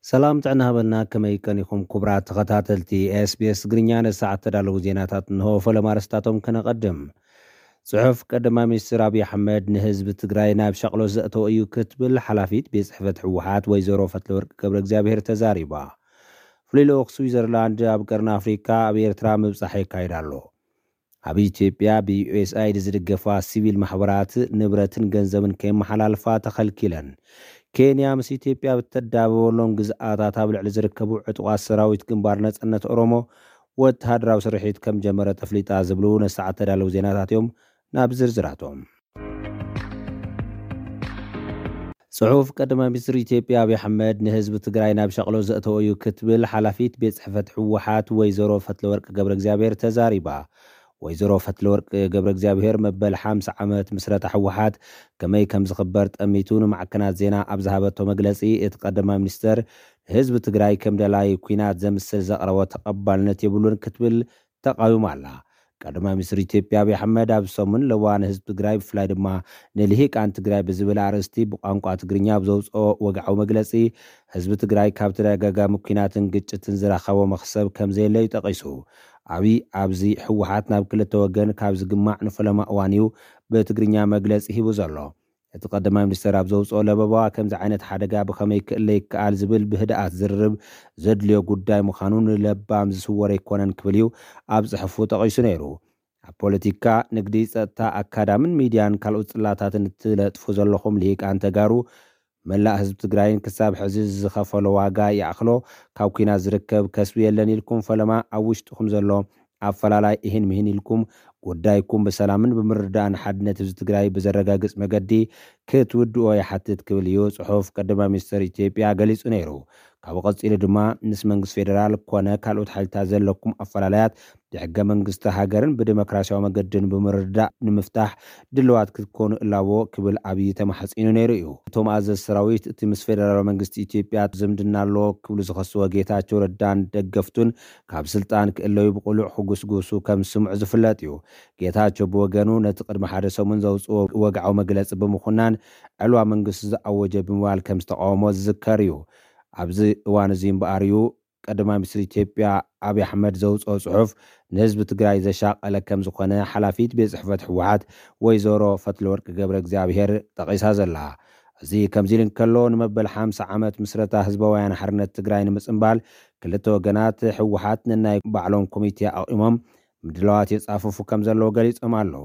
ሰላም ጥዕና ሃበልና፣ ከመይ ቀኒኹም ክቡራት ተኸታተልቲ SBS ትግርኛ? ነሰዓት ተዳለዉ ዜናታት እንሆ። ፈለማ ኣርእስታቶም ከነቐድም። ጽሑፍ ቀዳማይ ሚኒስትር ኣብይ ኣሕመድ ንህዝቢ ትግራይ ናብ ሸቕሎ ዘእተወ እዩ ክትብል ሓላፊት ቤት ጽሕፈት ህወሓት ወይዘሮ ፈትለወርቅ ገብረ እግዚኣብሔር ተዛሪባ። ፍሉይ ልኡኽ ስዊዘርላንድ ኣብ ቀርኒ ኣፍሪካ ኣብ ኤርትራ ምብጻሕ የካይድ ኣሎ። ኣብ ኢትዮጵያ ብዩኤስኣይዲ ዝድገፋ ሲቪል ማሕበራት ንብረትን ገንዘብን ከይመሓላልፋ ተኸልኪለን። ኬንያ ምስ ኢትዮጵያ ብተዳበበሎም ግዝኣታት ኣብ ልዕሊ ዝርከቡ ዕጡቓት ሰራዊት ግንባር ነጻነት ኦሮሞ ወተሃደራዊ ስርሒት ከም ጀመረ ተፍሊጣ ዝብሉ ነሰዓት ተዳለዉ ዜናታት እዮም። ናብ ዝርዝራቶም። ጽሑፍ ቀዳማይ ሚኒስትር ኢትዮጵያ ኣብይ ኣሕመድ ንህዝቢ ትግራይ ናብ ሸቕሎ ዘእተወ እዩ ክትብል ሓላፊት ቤት ጽሕፈት ህወሓት ወይዘሮ ፈትለወርቅ ገብረ እግዚኣብሔር ተዛሪባ። ወይዘሮ ፈትለወርቅ ገብረ እግዚኣብሔር መበል ሓምሳ ዓመት ምስረታ ህወሓት ከመይ ከም ዝኽበር ጠሚቱ ንማዕከናት ዜና ኣብ ዝሃበቶ መግለጺ፣ እቲ ቀዳማይ ሚኒስተር ንህዝቢ ትግራይ ከም ደላይ ኲናት ዘምስል ዘቕረቦ ተቐባልነት የብሉን ክትብል ተቓዊማ ኣላ። ቀዳማይ ሚኒስትር ኢትዮጵያ ኣብይ ኣሕመድ ኣብ ሰሙን ለዋ ንህዝቢ ትግራይ ብፍላይ ድማ ንልሂቃን ትግራይ ብዝብል ኣርእስቲ ብቋንቋ ትግርኛ ኣብ ዘውፅኦ ወግዓዊ መግለፂ፣ ህዝቢ ትግራይ ካብ ተደጋጋሚ ኲናትን ግጭትን ዝረኸቦ መኽሰብ ከም ዘየለ እዩ ጠቒሱ። ኣብይ ኣብዚ ህወሓት ናብ ክልተ ወገን ካብ ዝግማዕ ንፈለማ እዋን እዩ ብትግርኛ መግለፂ ሂቡ ዘሎ። እቲ ቀዳማይ ሚኒስተር ኣብ ዘውፅኦ ለበባ፣ ከምዚ ዓይነት ሓደጋ ብኸመይ ክእለ ይከኣል ዝብል ብህድኣት ዝርርብ ዘድልዮ ጉዳይ ምዃኑ ንለባም ዝስወር ኣይኮነን ክብል እዩ ኣብ ጽሑፉ ጠቒሱ ነይሩ። ኣብ ፖለቲካ፣ ንግዲ፣ ጸጥታ፣ ኣካዳምን ሚድያን ካልኦት ጽላታትን እትለጥፉ ዘለኹም ልሂቃን ተጋሩ፣ መላእ ህዝቢ ትግራይን ክሳብ ሕዚ ዝኸፈሎ ዋጋ ይኣኽሎ፣ ካብ ኲናት ዝርከብ ከስቢ የለን ኢልኩም ፈለማ ኣብ ውሽጥኹም ዘሎ ኣፈላላይ እሂን ምሂን ኢልኩም ጉዳይኩም ብሰላምን ብምርዳእን ሓድነት ህዝቢ ትግራይ ብዘረጋግጽ መገዲ ክትውድኦ ይሓትት ክብል እዩ ጽሑፍ ቀዳማይ ሚኒስትር ኢትዮጵያ ገሊጹ ነይሩ። ካብኡ ቀጺሉ ድማ ምስ መንግስቲ ፌደራል ኮነ ካልኦት ሓይልታት ዘለኩም ኣፈላላያት ብሕገ መንግስቲ ሃገርን ብዲሞክራሲያዊ መገድን ብምርዳእ ንምፍታሕ ድልዋት ክትኮኑ እላቦ ክብል ኣብይ ተማሕጺኑ ነይሩ እዩ። እቶም ኣዘዝ ሰራዊት እቲ ምስ ፌደራላዊ መንግስቲ ኢትዮጵያ ዝምድና ኣለዎ ክብሉ ዝኸስዎ ጌታቸው ረዳን ደገፍቱን ካብ ስልጣን ክእለዩ ብቕሉዕ ክጉስጉሱ ከም ዝስምዑ ዝፍለጥ እዩ። ጌታቸው ብወገኑ ነቲ ቅድሚ ሓደ ሰሙን ዘውፅኦ ወግዓዊ መግለፂ ብምኹናን ዕልዋ መንግስቲ ዝኣወጀ ብምባል ከም ዝተቃወሞ ዝዝከር እዩ። ኣብዚ እዋን እዚ እምበኣር እዩ ቀዳማይ ሚኒስትር ኢትዮጵያ ኣብይ ኣሕመድ ዘውፅኦ ፅሑፍ ንህዝቢ ትግራይ ዘሻቀለ ከም ዝኾነ ሓላፊት ቤት ፅሕፈት ህወሓት ወይዘሮ ፈትለወርቅ ገብረ እግዚኣብሔር ጠቒሳ ዘላ። እዚ ከምዚ ኢሉ እንከሎ፣ ንመበል ሓምሳ ዓመት ምስረታ ህዝባውያን ሓርነት ትግራይ ንምፅምባል ክልተ ወገናት ህወሓት ነናይ ባዕሎም ኮሚቴ ኣቑሞም ምድላዋት የጻፍፉ ከም ዘለዉ ገሊጾም ኣለዉ።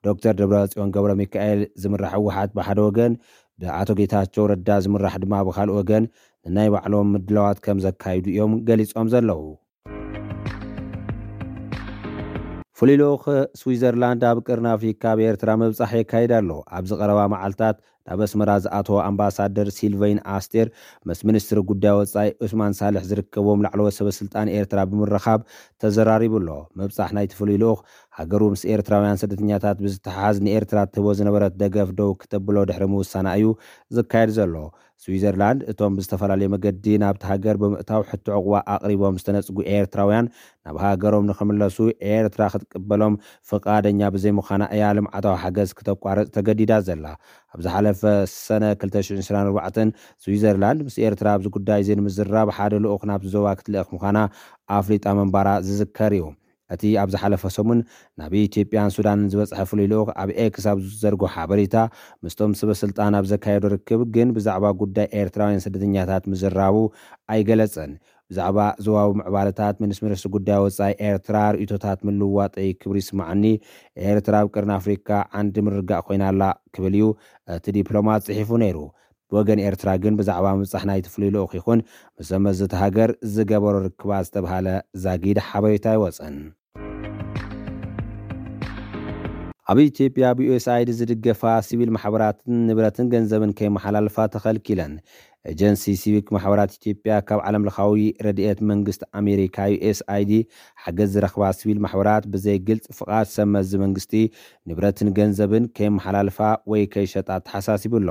ዶክተር ደብረጽዮን ገብረ ሚካኤል ዝምራሕ ህወሓት ብሓደ ወገን፣ ብኣቶ ጌታቸው ረዳ ዝምራሕ ድማ ብኻልእ ወገን፣ ንናይ ባዕሎም ምድላዋት ከም ዘካይዱ እዮም ገሊጾም ዘለዉ። ፍሉይ ልኡኽ ስዊዘርላንድ ኣብ ቅርኒ ኣፍሪካ ኣብ ኤርትራ ምብጻሕ የካይድ ኣሎ። ኣብዚ ቀረባ መዓልታት ናብ ኣስመራ ዝኣተወ ኣምባሳደር ሲልቨይን ኣስቴር ምስ ሚኒስትሪ ጉዳይ ወጻኢ ዑስማን ሳልሕ ዝርከቦም ላዕለዎት ሰበ ስልጣን ኤርትራ ብምርኻብ ተዘራሪቡ ኣሎ። ምብጻሕ ናይቲ ፍሉይ ልኡኽ ሃገሩ ምስ ኤርትራውያን ስደተኛታት ብዝተሓሓዝ ንኤርትራ ትህቦ ዝነበረት ደገፍ ደው ክተብሎ ድሕሪ ምውሳና እዩ ዝካየድ ዘሎ። ስዊዘርላንድ እቶም ብዝተፈላለየ መገዲ ናብቲ ሃገር ብምእታው ሕቶ ዕቑባ ኣቕሪቦም ዝተነጽጉ ኤርትራውያን ናብ ሃገሮም ንኽምለሱ ኤርትራ ክትቅበሎም ፍቓደኛ ብዘይምዃና እያ ልምዓታዊ ሓገዝ ክተቋርጽ ተገዲዳ ዘላ። ኣብ ዝሓለፈ ሰነ ክልተ ሽሕን ዕስራን ኣርባዕተን ስዊዘርላንድ ምስ ኤርትራ ኣብዚ ጉዳይ እዚ ንምዝራብ ሓደ ልኡኽ ናብቲ ዞባ ክትልእኽ ምዃና ኣፍሊጣ ምንባራ ዝዝከር እዩ። እቲ ኣብ ዝሓለፈ ሰሙን ናብ ኢትዮጵያን ሱዳንን ዝበጽሐ ፍሉይ ልኡኽ ኣብ ኤክስ ኣብ ዝዘርጎ ሓበሬታ፣ ምስቶም ሰበ ስልጣን ኣብ ዘካየዶ ርክብ ግን ብዛዕባ ጉዳይ ኤርትራውያን ስደተኛታት ምዝራቡ ኣይገለጸን። ብዛዕባ ዞባዊ ምዕባለታት ምስ ሚኒስትሪ ጉዳይ ወጻኢ ኤርትራ ርእይቶታት ምልውዋጠይ ክብሪ ይስማዓኒ። ኤርትራ ኣብ ቅርኒ ኣፍሪካ ዓንዲ ምርጋእ ኮይና ኣላ ክብል እዩ እቲ ዲፕሎማት ጽሒፉ ነይሩ። ብወገን ኤርትራ ግን ብዛዕባ ምብጻሕ ናይቲ ፍሉይ ልኡኽ ይኹን ምስ መዚ እቲ ሃገር ዝገበሮ ርክባት ዝተብሃለ ዛጊድ ሓበሬታ ኣይወጸን። ኣብ ኢትዮጵያ ብዩኤስኣይዲ ዝድገፋ ሲቪል ማሕበራትን ንብረትን ገንዘብን ከይመሓላልፋ ተኸልኪለን። ኤጀንሲ ሲቪክ ማሕበራት ኢትዮጵያ ካብ ዓለም ለኻዊ ረድኤት መንግስቲ ኣሜሪካ ዩኤስኣይዲ ሓገዝ ዝረኽባ ሲቪል ማሕበራት ብዘይ ግልፂ ፍቓድ ሰብ መዚ መንግስቲ ንብረትን ገንዘብን ከየመሓላልፋ ወይ ከይሸጣ ተሓሳሲቡ ኣሎ።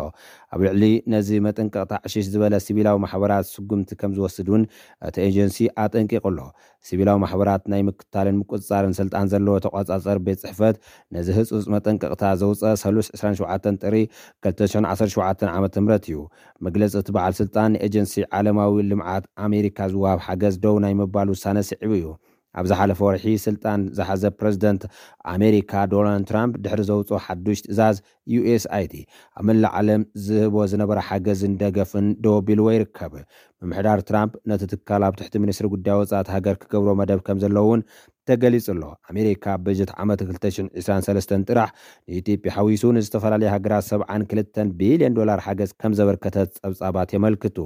ኣብ ልዕሊ ነዚ መጠንቀቕታ ዕሽሽ ዝበለ ሲቪላዊ ማሕበራት ስጉምቲ ከም ዝወስድ እውን እቲ ኤጀንሲ ኣጠንቂቑ ኣሎ። ሲቪላዊ ማሕበራት ናይ ምክታልን ምቁፅፃርን ስልጣን ዘለዎ ተቋፃፀር ቤት ፅሕፈት ነዚ ህፁፅ መጠንቀቕታ ዘውፀ ሰሉስ ዕስራን ሸውዓተን ጥሪ ክልተ ሽሕን ዓሰርተ ሸውዓተን ዓመተ ምህረት እዩ። መግለፂ እቲ በዓል ስልጣን ንኤጀንሲ ዓለማዊ ልምዓት ኣሜሪካ ዝወሃብ ሓገዝ ደው ናይ ምባል ውሳነ ስዒቡ እዩ። ኣብ ዝሓለፈ ወርሒ ስልጣን ዝሓዘ ፕረዚደንት ኣሜሪካ ዶናልድ ትራምፕ ድሕሪ ዘውፅኦ ሓዱሽ ትእዛዝ፣ ዩ ኤስ ኣይ ዲ ኣብ መላእ ዓለም ዝህቦ ዝነበረ ሓገዝን ደገፍን ደው ኣቢልዎ ይርከብ። ምምሕዳር ትራምፕ ነቲ ትካል ኣብ ትሕቲ ሚኒስትሪ ጉዳይ ወፃኢ ሃገር ክገብሮ መደብ ከም ዘለዎ እውን ተገሊጹ ኣሎ። ኣሜሪካ ኣብ በጀት ዓመት ክልተ ሽሕን ዕስራን ሰለስተን ጥራሕ ንኢትዮጵያ ሓዊሱ ንዝተፈላለዩ ሃገራት ሰብዓን ክልተን ቢልዮን ዶላር ሓገዝ ከም ዘበርከተት ጸብጻባት የመልክቱ።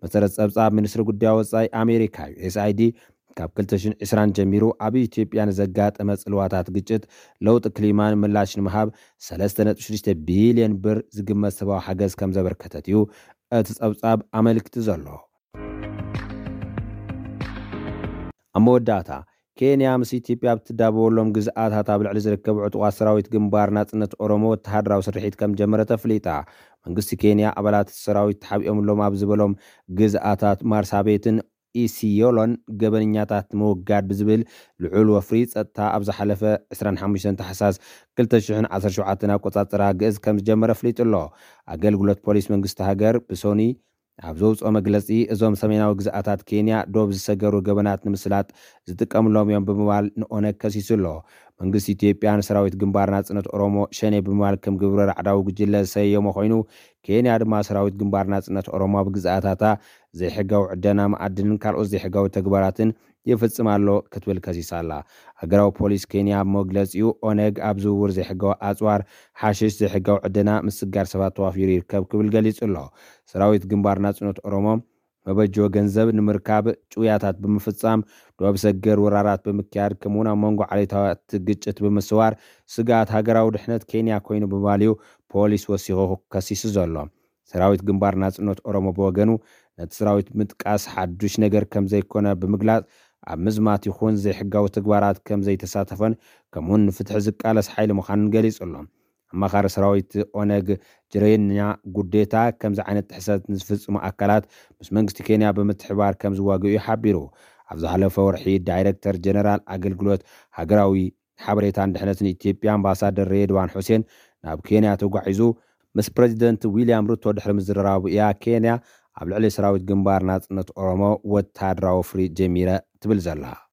መሰረት ጸብጻብ ሚኒስትሪ ጉዳይ ወጻኢ ኣሜሪካ፣ ዩ ኤስ ኣይ ዲ፣ ካብ ክልተ ሽሕን ዕስራን ጀሚሩ ኣብ ኢትዮጵያ ንዘጋጠመ ጽልዋታት ግጭት፣ ለውጢ ክሊማን ምላሽ ንምሃብ ሰለስተ ነጥቢ ሽዱሽተ ቢልዮን ብር ዝግመት ሰብኣዊ ሓገዝ ከም ዘበርከተት እዩ እቲ ጸብጻብ ኣመልክቱ ዘሎ። ኣብ መወዳእታ፣ ኬንያ ምስ ኢትዮጵያ ኣብ ትዳበወሎም ግዝኣታት ኣብ ልዕሊ ዝርከብ ዕጡቓት ሰራዊት ግንባር ናጽነት ኦሮሞ ወተሃደራዊ ስርሒት ከም ጀመረ ተፍሊጣ። መንግስቲ ኬንያ ኣባላት ሰራዊት ተሓቢኦምሎም ኣብ ዝበሎም ግዝኣታት ማርሳቤትን ኢሲዮሎን ገበነኛታት ንምውጋድ ብዝብል ልዑል ወፍሪ ጸጥታ ኣብ ዝሓለፈ ዕስራን ሓሙሽተን ታሕሳስ ክልተ ሽሕን ዓሰርተ ሸውዓተን ኣቆጻጽራ ግእዝ ከም ዝጀመረ ኣፍሊጡ ኣሎ። ኣገልግሎት ፖሊስ መንግስቲ ሃገር ብሶኒ ኣብ ዘውፅኦ መግለፂ፣ እዞም ሰሜናዊ ግዝኣታት ኬንያ ዶብ ዝሰገሩ ገበናት ንምስላጥ ዝጥቀምሎም እዮም ብምባል ንኦነግ ከሲሱ ኣሎ። መንግስቲ ኢትዮጵያ ንሰራዊት ግንባር ናጽነት ኦሮሞ ሸኔ ብምባል ከም ግብረ ራዕዳዊ ጉጅለ ዝሰየሞ ኮይኑ፣ ኬንያ ድማ ሰራዊት ግንባር ናጽነት ኦሮሞ ኣብ ግዝኣታታ ዘይሕጋዊ ዕደና መኣድንን ካልኦት ዘይሕጋዊ ተግባራትን ይፍጽም ኣሎ ክትብል ከሲሳ ኣላ። ሃገራዊ ፖሊስ ኬንያ ኣብ መግለጺኡ፣ ኦነግ ኣብ ዝውውር ዘይሕጋዊ ኣጽዋር፣ ሓሽሽ፣ ዘይሕጋዊ ዕደና፣ ምስጋር ሰባት ተዋፊሩ ይርከብ ክብል ገሊጹ ኣሎ። ሰራዊት ግንባር ናጽነት ኦሮሞ መበጀዊ ገንዘብ ንምርካብ ጭውያታት ብምፍጻም፣ ዶብ ሰገር ወራራት ብምክያድ፣ ከምኡውን ኣብ መንጎ ዓሌታት ግጭት ብምስዋር ስግኣት ሃገራዊ ድሕነት ኬንያ ኮይኑ ብምባል እዩ ፖሊስ ወሲኹ ከሲሱ ዘሎ። ሰራዊት ግንባር ናጽነት ኦሮሞ ብወገኑ፣ ነቲ ሰራዊት ምጥቃስ ሓዱሽ ነገር ከም ዘይኮነ ብምግላጽ፣ ኣብ ምዝማት ይኹን ዘይሕጋዊ ተግባራት ከም ዘይተሳተፈን ከምኡውን ንፍትሒ ዝቃለስ ሓይሊ ምዃኑን ገሊጹ ኣሎ። ኣማኻሪ ሰራዊት ኦነግ ጅሬኛ ጉዴታ፣ ከምዚ ዓይነት ጥሕሰት ንዝፍጽሙ ኣካላት ምስ መንግስቲ ኬንያ ብምትሕባር ከም ዝዋግኡ እዩ ሓቢሩ። ኣብ ዝሓለፈ ወርሒ ዳይሬክተር ጀነራል ኣገልግሎት ሃገራዊ ሓበሬታን ድሕነትን ኢትዮጵያ ኣምባሳደር ሬድዋን ሑሴን ናብ ኬንያ ተጓዒዙ ምስ ፕረዚደንት ዊልያም ሩቶ ድሕሪ ምዝርራቡ እያ ኬንያ ኣብ ልዕሊ ሰራዊት ግንባር ናጽነት ኦሮሞ ወተሃደራዊ ወፍሪ ጀሚረ ትብል ዘላ።